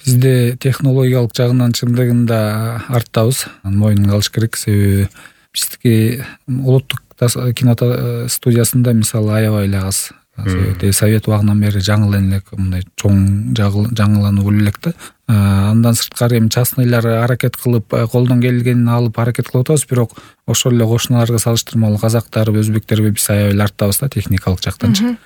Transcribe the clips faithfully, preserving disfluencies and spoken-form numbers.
Бизде технологиялык жагынан чындыгында арттабыз. Мойнунга алыш керек. Себеби биздики улуттук кино студиясында мисалы аябай эле аз. Себеби совет убагынан бери жаңы эле мындай чоң жаңылануу боло элек да. Андан сырткары эми частныйлар аракет кылып, колдон келгенин алып аракет кылып атабыз, бирок ошол эле кошуналарга салыштырмалуу казактарбы, өзбектерби биз аябай эле арттабыз да техникалык жактанчы.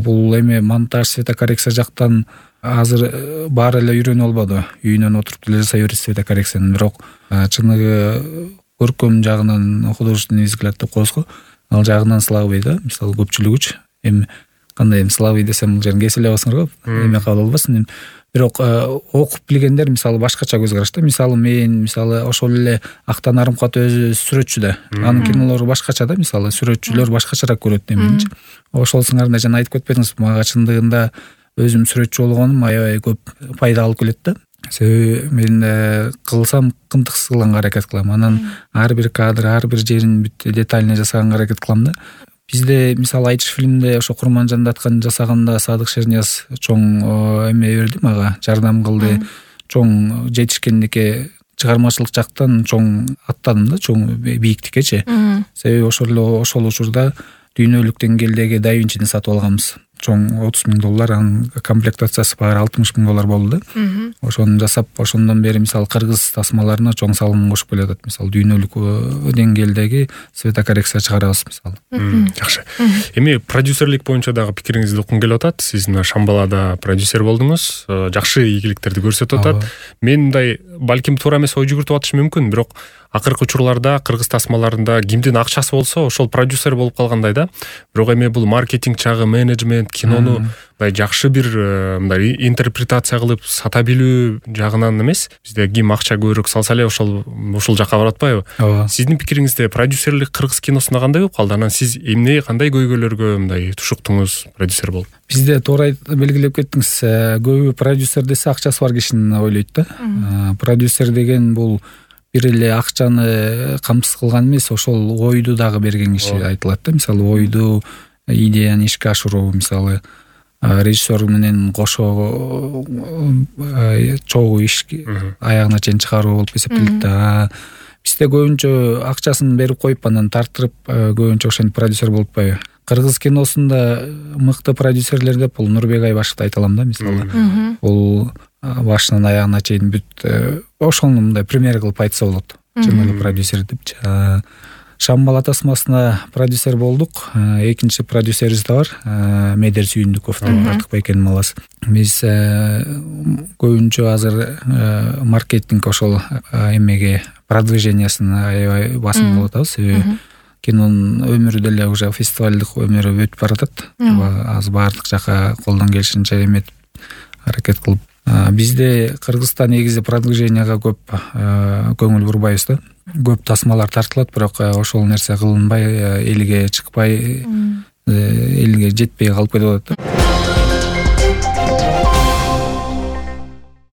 Бул эми монтаж, светокоррекция жактан азыр баары эле үйрөнүп албады. Үйүнөн отуруп деле жасай берет светокоррекцияны, бирок чыныгы көркөм жагынан художественный взгляд деп коебуз го. Ал жагынан слабый да, мисалы көпчүлүгүчү. Эми кандай эми слабый десем бул жерин кесе эле аласыңар го, эме кабыл албасын. Бирок окуп билгендер мисалы башкача көз караш да. Мисалы мен мисалы ошол эле Актан Арымкат өзү сүрөтчү да. Анын кинолору башкача да, мисалы сүрөтчүлөр башкачараак көрөт эмничи. Ошол сыңарында жана айтып кетпедиңиз, мага чындыгында өзүм сүрөтчү болгонум аябай көп пайда алып келет да. Себеби мен кылсам кымтыксыз кылганга аракет кылам. Анан ар бир кадр, ар бир жерин бүт детально жасаганга аракет кылам да. Бизде мисалы Айтыш фильминде ошо Курманжанды аткан жасаганда Садык Шернияз чоң эме берди мага, жардам кылды. Чоң жетишкендикке чыгармачылык жактан чоң аттадым да, чоң бийиктиккечи. Себеби ошол эле ошол учурда дүйнөлүк деңгээлдеги Да Винчини сатып алганбыз. Чоң отуз миң доллар, анын комплектациясы баары алтымыш миң доллар болду да. Ошону жасап, ошондон бери мисалы кыргыз тасмаларына чоң салым кошуп келатат. Мисалы дүйнөлүк деңгээлдеги светокоррекция чыгарабыз мисалы. Жакшы. Эми продюсерлик боюнча дагы пикириңизди уккум келип атат. Сиз мына Шамбалада продюсер болдуңуз, жакшы ийгиликтерди көрсөтүп атат. Мен мындай балким туура эмес ой жүгүртүп атышы мүмкүн, бирок акыркы учурларда кыргыз тасмаларында кимдин акчасы болсо ошол продюсер болуп калгандай да. Бирок эми бул маркетинг чагы, менеджмент, кинону мындай жакшы бир мындай интерпретация кылып сата билүү жагынан эмес, бизде ким акча көбүрөөк салса эле ошол ушул жакка барып атпайбы? Сиздин пикириңизде продюсерлик кыргыз киносунда кандай болуп калды? Анан сиз эмне, кандай көйгөйлөргө мындай тушуктуңуз продюсер болуп? Бизде туура белгилеп кеттиңиз. Көбү продюсер десе акчасы бар кишини ойлойт да. Продюсер деген бул бир эле акчаны камсыз кылган эмес, ошол ойду дагы берген киши айтылат да. Мисалы ойду, идеяны ишке ашыруу, мисалы режиссер менен кошо чогуу иш аягына чейин чыгаруу болуп эсептелет да. Бизде көбүнчө акчасын берип коюп анан тартырып көбүнчө ошентип продюсер болуп атпайбы? Кыргыз киносунда мыкты продюсерлер деп бул Нурбек Айбашевди айта алам да, мисалы. Бул башынан аягына чейин бүт ошону мындай пример кылып айтса болот. Чын эле продюсер депчи. Шамбала тасмасына продюсер болдук. Экинчи продюсерибиз да бар, Медер Сүйүндүков деп Артык Байкенин маласы. Биз көбүнчө азыр маркетинг ошол эмеге продвижениясын аябай басым кылып атабыз. Себеби кинонун өмүрү деле уже фестивалдык өмүрү өтүп баратат. Азыр баардык жака колдон келишинче эметип аракет кылып. Бизде Кыргызстан негизи продвиженияга көп көңүл бурбайбыз да. Көп тасмалар тартылат, бирок ошол нерсе кылынбай, элге чыкпай, элге жетпей калып кетип атат да.